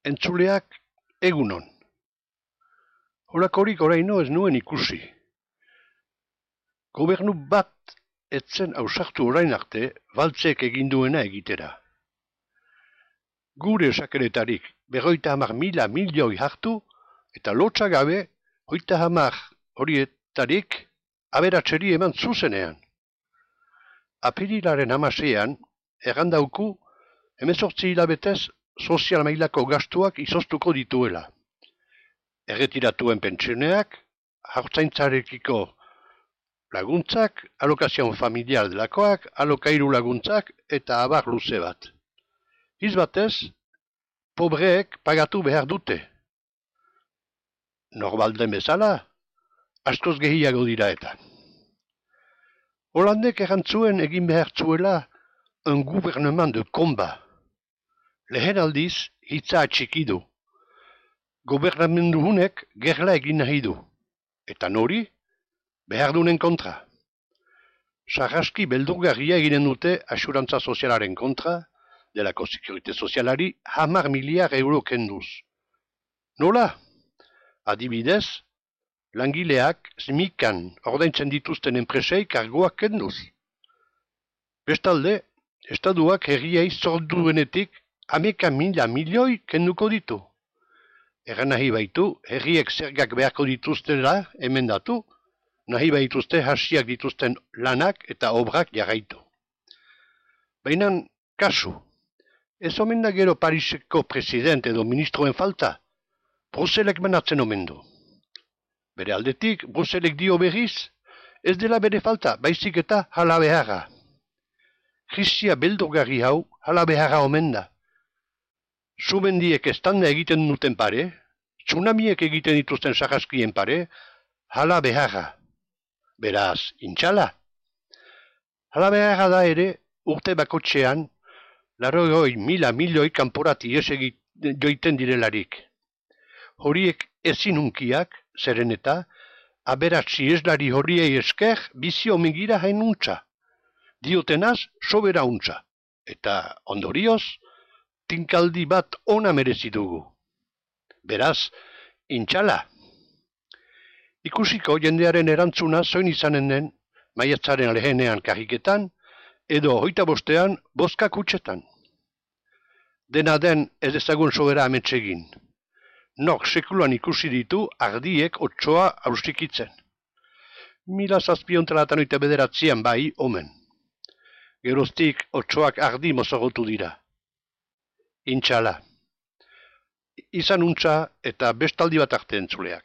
Entzuleak egunon. Horakorik oraino ez nuen ikusi. Gobernu bat etzen ausartu orain arte baltzek eginduena egitera. Gure sakeretarik 50.000 milioi hartu eta lotsa gabe 30 horietarik aberatseri eman zuzenean. Apirilaren 16an errandauku 18 hilabetez sozial mailako gastuak izoztuko dituela. Erretiratuen pentsioneak, haurtzaintzarekiko laguntzak, alokazion familiar delakoak, alokairu laguntzak eta abar luze bat. Izbatez, pobreek pagatu behar dute. Normalden bezala, askoz gehiago dira eta. Holandek errantzuen egin behar zuela un gouvernement de combat. Lehen aldiz, hitza atxiki du. Gobernamendu hunek gerla egin nahi du. Eta nori? Behar dunen kontra. Sarraski beldurgarria eginen dute asurantza sozialaren kontra, delako sekurite sozialari 10 miliar euro kenduz. Nola? Adibidez, langileak smikan ordaintzen dituzten enpresei kargoak kenduz. Bestalde, estaduak herriei zorduenetik 11.000 milioi kenduko ditu. Erran nahi baitu, herriek zergak beharko dituztela emendatu, nahi baituzte hasiak dituzten lanak eta obrak jarraitu. Baina, kasu, ez omen da gero Pariseko presidente edo ministroen falta, Bruselek manatzen omen du. Bere aldetik, Bruselek dio berriz, ez dela bere falta, baizik eta hala beharra. Krisia beldurgarri hau hala beharra omen da. Sumendiek estanda egiten duten pare, tsunamiek egiten dituzten sarraskien pare, hala beharra. Beraz, intxala. Hala beharra da ere, urte bakotxean, 80.000 milioi kanporati joiten direlarik. Horiek ezin hunkiak, zeren eta, aberatzi eslari horiei esker bizio mengira hainuntza. Diotenaz, sobera untza. Eta ondorioz, tinkaldi bat ona merezi dugu. Beraz, intxala. Ikusiko jendearen erantzuna zoin izanen den, maiatzaren lehenean karriketan, edo 25ean bozka kutxetan. Dena den ez ezagun sobera ametsegin. Nok sekulan ikusi ditu ardiek otsoa ausikitzen. 1789 bai omen. Geroztik otsoak ardi mozogotu dira. Intxala. Izan untza eta bestaldi bat arte entzuleak.